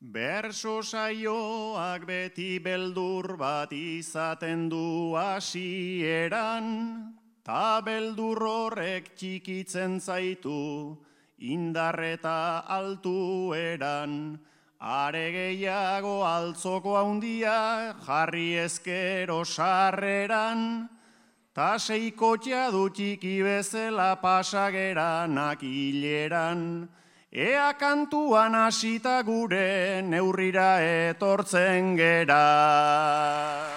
Berso saioak beti beldur bat izaten du hasieran, ta beldur horrek txikitzen zaitu, indar eta altueran, are gehiago altzoko handia jarri ezkero sarreran, ta seikotxa du txiki bezala pasageranak hileran, ea kantuan hasita gure neurrira etortzen gera.